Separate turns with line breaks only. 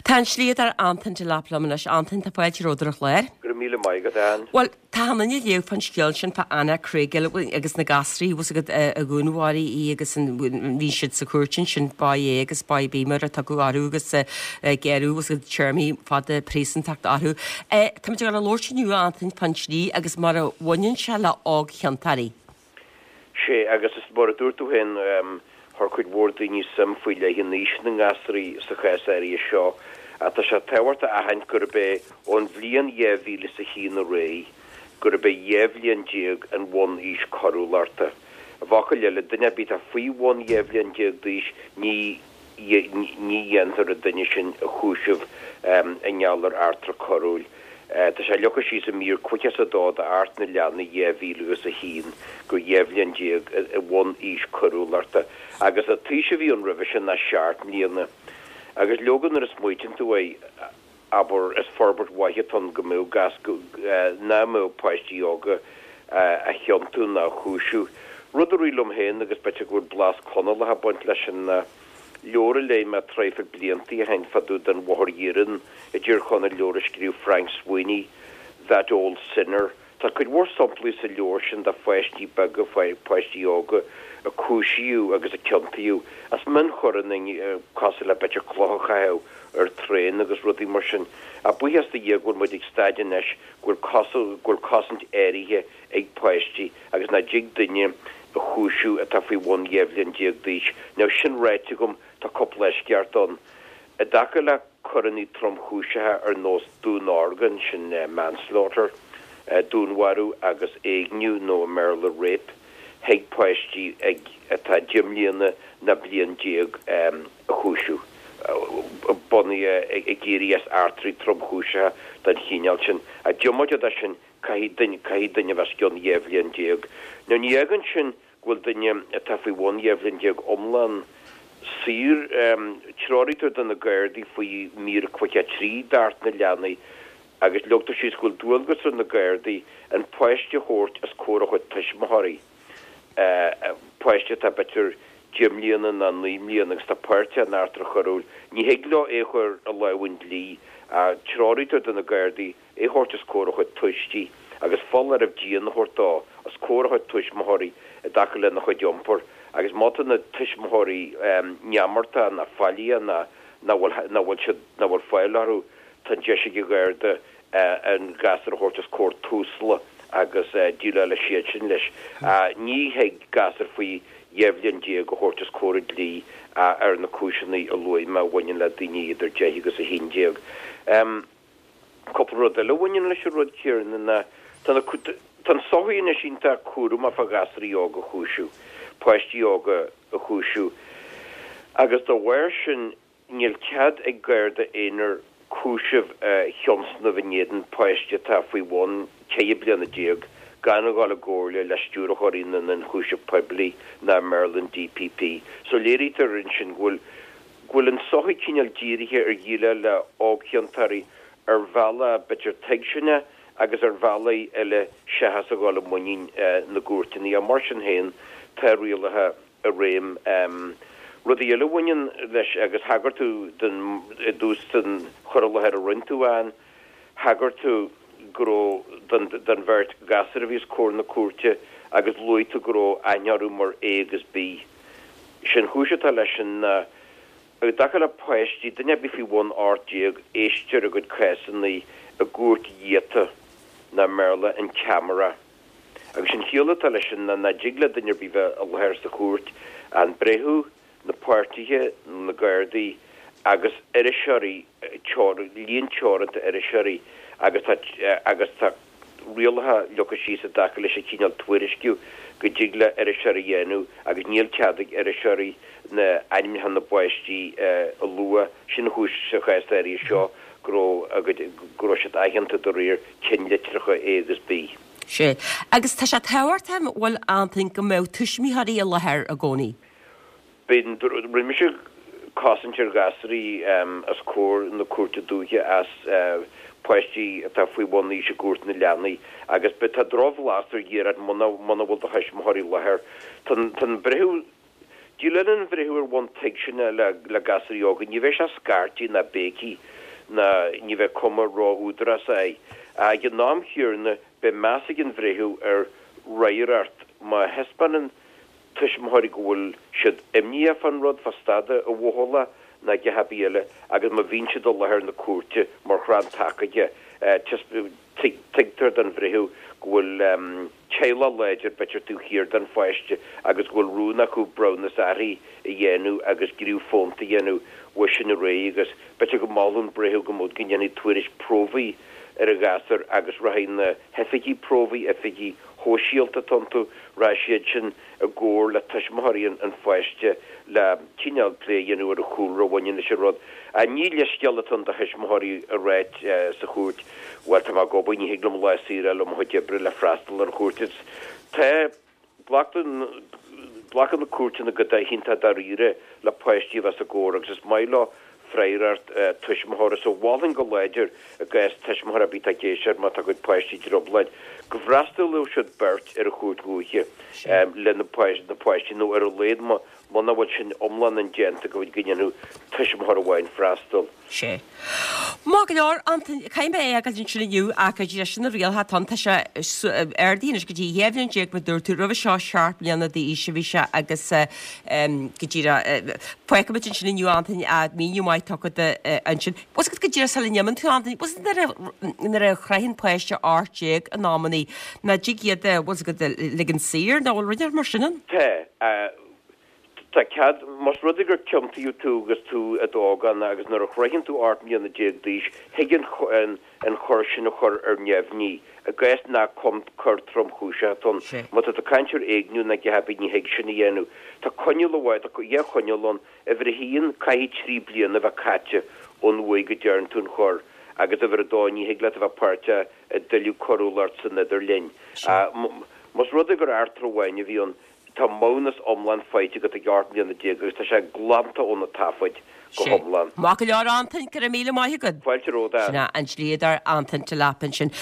Tá an dlíodóir Antain Delap liom anois. Antain, tá fáilte romhat ar an chlár.
Go raibh míle maith agat, Ann.
Bhuel, tá an duine léamh fán scéal sin fá Anna Kriégel agus na gasraí, bhfuil 's agat, a dhúnmharaigh í agus an bhí siad sa chúirt ansin, Boy A agus Boy B mar a tugadh orthu agus gearradh, bhfuil 's agat, téarmaí fada príosúntachta orthu. Táimid ag dul a labhairt inniu, a Antain, fán dlí agus mar a bhaineann sé le ógchiontóirí.
Sé, agus is mar a dúirt tú féin, chuir cuid mhór daoine suim faoi leith in aois na ngasraí sa chás áirithe seo, ach tá sé tábhachtach a aithint gurb é ón bhliain 2001 ar aghaidh gurb é 12 bhliain an bhun-aois coiriúlachta. I bhfocail eile, duine ar bith atá faoi bhun 12 bhliain d'aois, ní ní dhéantar an duine sin a chúiseamh i ngeall ar eachtra coiriúil. Tá sé leagtha síos i mír 52 d'Acht na Leanaí 2001 gur 12 bhliain an bhun-aois coiriúlachta agus an t-aois a bhí ann roimhe sin ná 7 mbliana. Agus leoga nuair a smaoitíonn tú air, abair, is forbairt mhaith atá ann go mbeadh gas, nach mbeadh páistí óga á chiontú ná á chúiseamh. Rud a rith liom féin, agus b'fhéidir go bhfuil blas Conallach ag baint leis sin, ná leabhar a léigh mé traidhfil bliantaí ó shin fá dtaobh den Bhóthar Iarainn i dTír Chonaill, leabhar a scríobh Frank Sweeney, That Old Sinner. Tá cuid mhór samplaí sa leabhar sin de pháistí beaga, páistí óga a cúisíodh agus a ciontaíodh as mionchoireanna cosúil le b'fhéidir cloch a chaitheamh ar traein agus rudaí mar sin. Ach buíochas do Dhia go bhfuil muid ag staid anois go bhfuil go bhfuil cosaint áirithe ag páistí agus nach dtig duine a chúiseamh atá faoi bhun 12 bhliain d'aois. Now sin ráite agam tá cúpla eisceacht ann. I dtaca le coireanna tromchúiseacha ar nós dúnorgain, sin manslaughter, dúnmharú agus éigniú nó i mBéarla rape, thig páistí atá 10 mbliana ná bliain a chúiseamh, bunaithe ag éirí as eachtraí tromchúiseacha den chineál sin. Ach diomaite de sin, caithfidh duine a bheith os cionn 12 bhliain. Now ní fhágann sin go bhfuil duine atá faoi bhun 12 bhliain iomlán saor. Treoraítear do na Gardaí faoi mhír 53 d'Acht na Leanaí agus leagtar síos go bhfuil dualgas ar na Gardaí an páiste a thabhairt os comhair a chuid tuismitheoirí, páiste atá b'fhéidir 10 mbliana ná 9 mbliana agus atá páirteach in eachtra choiriúil. Ní thig leo é a chur i lámha an dlí ach treoraítear do na Gardaí é thabhairt os comhair a chuid tuistí agus foláireamh dian a thabhairt dó os comhair a chuid tuismitheoirí i dtaca lena chuid iompair agus má tá na tuismitheoirí neamartach ná faillíoch ná nach bhfuil nach bhfuil siad nach bhfuil fáil orthu tá an deis ag an Gharda an gasúr a thabhairt os comhair Tusla agus déileálfaidh siadsin leis. Ní thig gasúr faoi 12 bhliain a thabhairt os comhair an dlí ar na cúiseanna a luaigh mé a bhaineann le daoine idir 10 agus 11. Cúpla rud eile a bhaineann leis an rud céanna ná tá na tá an tsochaí anois iontach cúramach fá ghasraí óga a chúiseamh, páistí óga a chúiseamh agus dá bharr sin níl cead ag Garda aonair cúiseamh a thionscnamh in éadan páiste atá faoi bhun 14 bliana gan a dhul i gcomhairle le Stiúrthóirí na nIonchúiseamh Poiblí ná i mBéarla an DPP. So léirítear ansin go bhfuil go bhfuil an tsochaí cineál dírithe ar dhéileáil le ógchiontóirí ar bhealach b'fhéidir tuigseanach agus ar bhealaí eile seachas a dhul i muinín na gcúirteanna. Ach mar sin féin, tá rialacha i réim. Rudaí eile a bhaineann leis, agus thagair tú don, i dtús den chur i láthair a rinne tú, Ann, thagair tú go raibh, don, don bheirt ghasúr a bhí os comhair na cúirte agus luaigh tú go raibh aithne orthu mar A agus B. Sé an chúis atá leis sin ná, i dtaca le páistí, duine ar bith faoi bhun 18, éistear a gcuid cásanna i gcúirt ghiota, nó i mBéarla, in camera. Agus an chiall atá leis sin ná nach dtig le duine ar bith bheith i láthair sa chúirt, an breitheamh, na páirtithe, na Gardaí agus iriseoirí, líon teoranta iriseoirí agus tá agus tá rialacha leagtha síos i dtaca leis an chineál tuairisciú go dtig le iriseoirí a dhéanamh agus níl cead ag iriseoirí na ainmneacha na bpáistí a lua. Sin an chúis sa chás áirithe seo go raibh go raibh siad aitheanta de réir cinnlitreacha A agus B.
Sea. Agus tá sé tábhachtach, an bhfuil, Antain, go mbeadh tuismitheoirí i láthair i gcónaí?
Bíonn, rinne mise cosaint ar ghasraí os comhair na Cúirte Dúiche as páistí atá faoi bhun aois i gCúirt na Leanaí agus tá drochbhlas ar dhíreach muna bhfuil do thuismitheoirí i láthair. Tá an breitheamh. Déileálann an bhreitheamh ar bhonn tuigseana le gasúirí óga. Ní bheidh sé ag scairtigh ná béicigh ná ní bheidh cuma ró-údarásach air. Ag an am chéanna, beidh meas ag an bhreitheamh ar fhreagracht má thaispeánann tuismitheoirí go bhfuil siad imníoch fán rud, fá staid a bhuachalla ná a dhath ar bith eile agus má bhíonn siad i láthair na cúirte mar chrann taca de, tuigtear don bhreitheamh go bhfuil teaghlach láidir b'fhéidir taobh thiar den pháiste agus go bhfuil rún acu breithiúnas aithrí a dhéanamh agus gníomh fónta a dhéanamh uaidh sin ar aghaidh agus b'fhéidir go molfadh an breitheamh go mbeadh go ndéanfaí tuairisc promhaidh ar an ghasúr agus rachaidh na hoifigigh promhaidh, oifigigh shóisialta atá iontu, rachaidh siad sin i gcomhar le tuismitheoirí an pháiste le cineál plé a dhéanamh ar an chúlra a bhaineann leis an rud. Ní leithscéal atá ann do thuismitheoirí a ráit sa chúirt, bhuel, tá mé ag obair, ní thig liom lá saor a fháil ó mo chuid oibre le freastal ar an chúirt. Is tá, glacann, glacann na cúirteanna go hiontach dáiríre le páistí a bheith os a gcomhair agus is maith leo freagracht tuismitheora. So mholfainn go láidir i gcás tuismitheoir ar bith atá ag éisteacht má tá a gcuid páistí i dtrioblóid, go bhfreastalódh siad beirt ar an chúirt dhúiche le na páistí nó ar a laghad muna bhfuil sin iomlán indéanta go ndéanfadh tuismitheoir amháin freastal.
Sea. Maith go leor, Antain, caithfidh mé é a fhágáil ansin inniu ach go dtí sin na rialacha atá ann, tá sé ardaithe anois go dtí 12 bhliain mar a dúirt tú, roimhe seo 7 mbliana d'aois a bhí sé agus go díreach, fágfaimid ansin inniu Antain, míniú maith tugtha agat ansin. Bhfuil fhios agat go díreach sula n-imíonn tú Antain, bhfuil fhios agat nuair a shroicheann páiste 18 in amannaí, nach dtig iad, bhfuil fhios agat, ligean saor nó bhfuil rud mar sin ann?
Tá. Tá cead, más rud é gur ciontaíodh tú agus tú i d'ógánach agus nuair a shroicheann tú 18 mbliana d'aois, thig an an choir sin a chur ar neamhní, i gcás nach coir tromchúiseach atá ann. Má tá tú ag caint ar éigniú nó a dhath ar bith, ní thig sin a dhéanamh. Tá coinníoll amháin, tá dhá choinníoll ann. Uimhir a haon, caithfidh 3 bliana a bheith caite ón uair go dtearn tú an choir, agus uimhir a dó, ní thig leat a bheith páirteach i dtuilleadh coiriúlacht san idirlinn. Más rud é gur eachtra amháin a bhí ann, Tá maithiúnas iomlán faighte agat ag 18 mbliana agus tá sé glanta ó na taifid go hiomlán.
Maith go leor Antain, go raibh míle maith agat.
Fáilte romhat.
Sin é an dlíodóir Antain Delap ansin.